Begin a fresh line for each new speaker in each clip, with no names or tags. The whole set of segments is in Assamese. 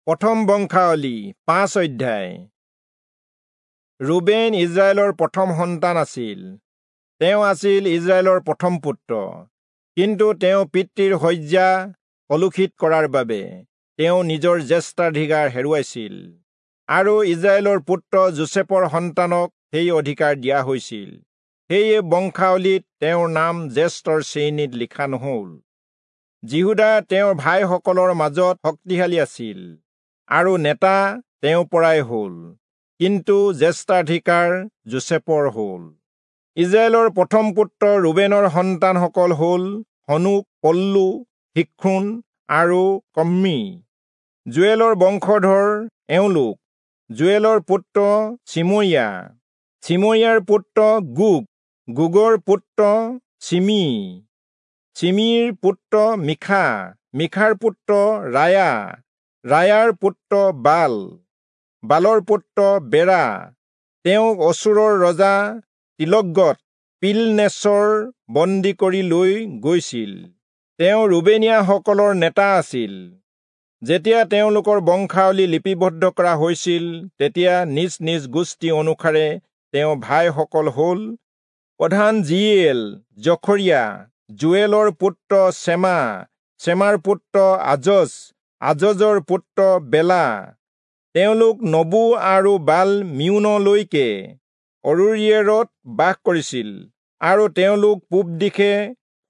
প্ৰথম বংশাৱলী 5 অধ্যায়। ৰুবেন ইজৰাইলৰ প্ৰথম সন্তান আছিল। তেওঁ আছিল ইজৰাইলৰ প্ৰথম পুত্ৰ, কিন্তু তেওঁ পিতৃৰ শয্যা কলুষিত কৰাৰ বাবে তেওঁ নিজৰ জ্যেষ্ঠাধিকাৰ হেৰুৱাইছিল আৰু ইজৰাইলৰ পুত্ৰ যোচেফৰ সন্তানক সেই অধিকাৰ দিয়া হৈছিল। সেয়ে বংশাৱলীত তেওঁৰ নাম জ্যেষ্ঠৰ শ্ৰেণীত লিখা নহল। যিহূদা তেওঁৰ ভাইসকলৰ মাজত শক্তিশালী আছিল আৰু নেতা তেওঁৰ পৰাই হল, কিন্তু জ্যেষ্ঠাধিকাৰ যোচেফৰ হল। ইজৰাইলৰ প্ৰথম পুত্ৰ ৰুবেনৰ সন্তানসকল হল হনোক, পল্লু, হিক্ৰোণ আৰু কম্মি। যোৱেলৰ বংশধৰ এওঁলোক: যোৱেলৰ পুত্ৰ চিমৰিয়া, চিমৰিয়াৰ পুত্ৰ গোগ, গোগৰ পুত্ৰ চিমি, চিমিৰ পুত্ৰ মিখা, মিখাৰ পুত্ৰ ৰায়া, ৰায়াৰ পুত্ৰ বাল, বালৰ পুত্ৰ বেৰা। তেওঁক অচূৰৰ ৰজা তিলগত পিলনেচৰ বন্দী কৰি লৈ গৈছিল। তেওঁ ৰুবেনীয়াসকলৰ নেতা আছিল। যেতিয়া তেওঁলোকৰ বংশাৱলী লিপিবদ্ধ কৰা হৈছিল, তেতিয়া নিজ নিজ গোষ্ঠী অনুসাৰে তেওঁ ভাইসকল হল প্ৰধান জিয়েল, জখৰিয়া, যোৱেলৰ পুত্ৰ চেমা, চেমাৰ পুত্ৰ আজজ, আজজৰ পুত্ৰ বেলা। তেওঁলোক নবু আৰু বাল মিউনলৈকে অৰোয়েৰত বাস কৰিছিল আৰু তেওঁলোক পূব দিশে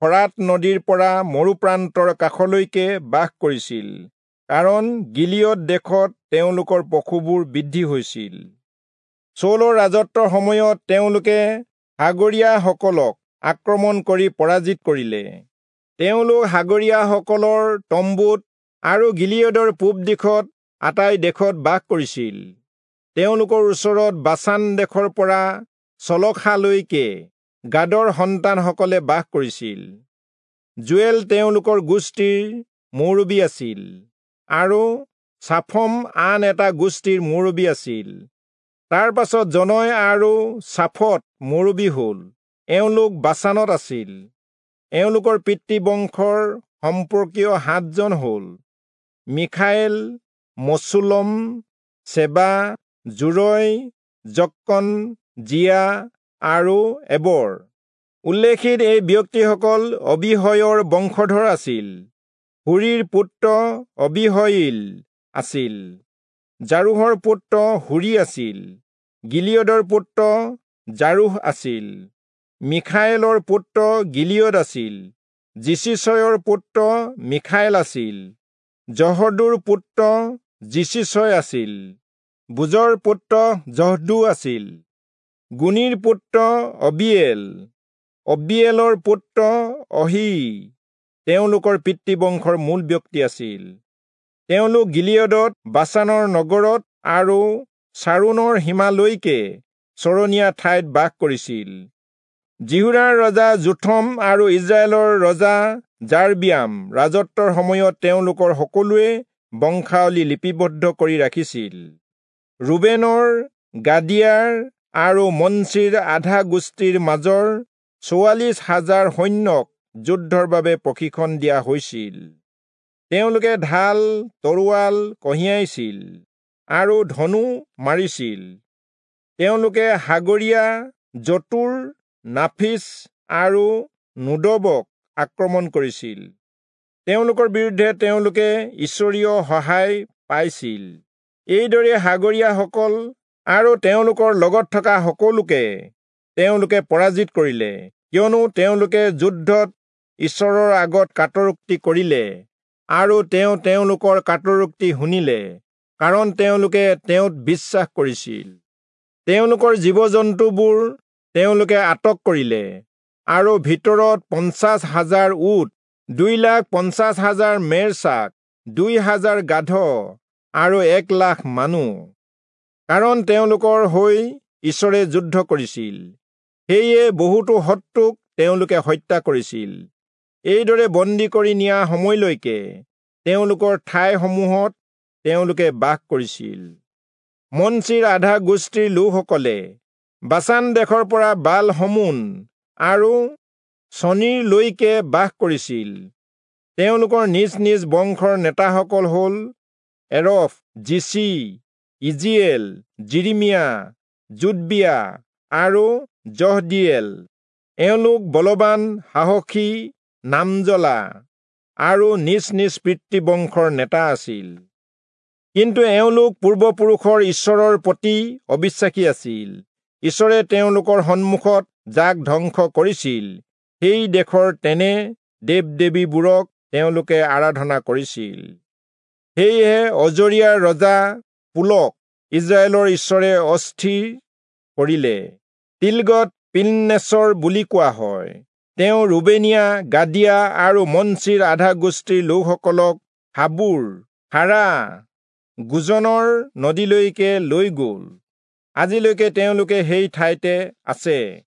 ফৰাত নদীৰ পৰা মৰুপ্ৰান্তৰ কাষলৈকে বাস কৰিছিল, কাৰণ গিলিয়দ দেশত তেওঁলোকৰ পশুবোৰ বৃদ্ধি হৈছিল। চৌলৰ ৰাজত্বৰ সময়ত তেওঁলোকে সাগৰীয়াসকলক আক্ৰমণ কৰি পৰাজিত কৰিলে। তেওঁলোক সাগৰীয়াসকলৰ তম্বুত আৰু গিলিয়দৰ পূব দিশত আটাই দেশত বাস কৰিছিল। তেওঁলোকৰ ওচৰত বাচান দেশৰ পৰা চলখালৈকে গাদৰ সন্তানসকলে বাস কৰিছিল। যোৱেল তেওঁলোকৰ গোষ্ঠীৰ মুৰব্বী আছিল আৰু চাফম আন এটা গোষ্ঠীৰ মুৰব্বী আছিল। তাৰ পাছত জনয় আৰু চাফত মুৰব্বী হল। এওঁলোক বাচানত আছিল। এওঁলোকৰ পিতৃবংশৰ সম্পৰ্কীয় 7 জন হল মিখাইল, মচুলম, চেবা, জোৰয়, জক্কন, জিয়া আৰু এবৰ। উল্লেখিত এই ব্যক্তিসকল অবিহয়ৰ বংশধৰ আছিল। হুৰীৰ পুত্ৰ অবিহয়িল আছিল, জাৰোহৰ পুত্ৰ হুৰী আছিল, গিলিয়দৰ পুত্ৰ জাৰোহ আছিল, মিখাইলৰ পুত্ৰ গিলিয়দ আছিল, যিচিচয়ৰ পুত্ৰ মিখাইল আছিল, জহদুৰ পুত্ৰ যিচিচয় আছিল, বুজৰ পুত্ৰ জহদু আছিল, গুণীৰ পুত্ৰ অবিয়েল, অবিয়েলৰ পুত্ৰ অহী তেওঁলোকৰ পিতৃবংশৰ মূল ব্যক্তি আছিল। তেওঁলোক গিলিয়দত বাচানৰ নগৰত আৰু চাৰোণৰ সীমালৈকে চৰণীয়া ঠাইত বাস কৰিছিল। যিহূদাৰ ৰজা যোথম আৰু ইজৰাইলৰ ৰজা যাৰবিয়াম ৰাজত্বৰ সময়ত তেওঁলোকৰ সকলোৱে বংশাৱলী লিপিবদ্ধ কৰি ৰাখিছিল। ৰুবেনৰ, গাদিয়াৰ আৰু মনচিৰ আধা গোষ্ঠীৰ মাজৰ 44,000 সৈন্যক যুদ্ধৰ বাবে প্ৰশিক্ষণ দিয়া হৈছিল। তেওঁলোকে ঢাল, তৰোৱাল কঢ়িয়াইছিল আৰু ধনু মাৰিছিল। তেওঁলোকে সাগৰীয়া, জতুৰ, নাফিচ আৰু নোদবক আক্ৰমণ কৰিছিল। তেওঁলোকৰ বিৰুদ্ধে তেওঁলোকে ঈশ্বৰীয় সহায় পাইছিল। এইদৰে সাগৰীয়াসকল আৰু তেওঁলোকৰ লগত থকা সকলোকে তেওঁলোকে পৰাজিত কৰিলে, কিয়নো তেওঁলোকে যুদ্ধত ঈশ্বৰৰ আগত কাতৰোক্তি কৰিলে আৰু তেওঁ তেওঁলোকৰ কাতৰোক্তি শুনিলে, কাৰণ তেওঁলোকে তেওঁত বিশ্বাস কৰিছিল। তেওঁলোকৰ জীৱ-জন্তুবোৰ তেওঁলোকে আটক কৰিলে আৰু ভিতৰত 50,000 উট, 2,50,000 মেৰছাক, 2,000 গাধ আৰু 1,00,000 মানুহ, কাৰণ তেওঁলোকৰ হৈ ঈশ্বৰে যুদ্ধ কৰিছিল। সেয়ে বহুতো শত্ৰুক তেওঁলোকে হত্যা কৰিছিল। এইদৰে বন্দী কৰি নিয়া সময়লৈকে তেওঁলোকৰ ঠাইসমূহত তেওঁলোকে বাস কৰিছিল। মনচিৰ আধা গোষ্ঠীৰ লোকসকলে বাচান দেশৰ পৰা বাল হমোন আৰু চনীৰলৈকে বাস কৰিছিল। তেওঁলোকৰ নিজ নিজ বংশৰ নেতাসকল হল এৰফ, জিচি, ইজিয়েল, যিৰিমিয়া, যোদবিয়া আৰু যহদীয়েল। এওঁলোক বলৱান, সাহসী, নামজ্বলা আৰু নিজ নিজ পিতৃবংশৰ নেতা আছিল। কিন্তু এওঁলোক পূৰ্বপুৰুষৰ ঈশ্বৰৰ প্ৰতি অবিশ্বাসী আছিল। ঈশ্বৰে তেওঁলোকৰ সন্মুখত যাক ধ্বংস কৰিছিল, সেই দেশৰ তেনে দেৱ দেৱীবোৰক তেওঁলোকে আৰাধনা কৰিছিল। সেয়েহে অজৰীয়াৰ ৰজা পুলক ইস্ৰায়েলৰ ঈশ্বৰে অস্থিৰ কৰিলে। তিলগত পিলনেচৰ বুলি কোৱা হয়। তেওঁ ৰুবেনীয়া, গাদিয়া আৰু মনচিৰ আধা গোষ্ঠীৰ লোকসকলক হাবুৰ, হাৰা, গোজনৰ নদীলৈকে লৈ গ'ল। আজিলৈকে তেওঁলোকে সেই ঠাইতে আছে।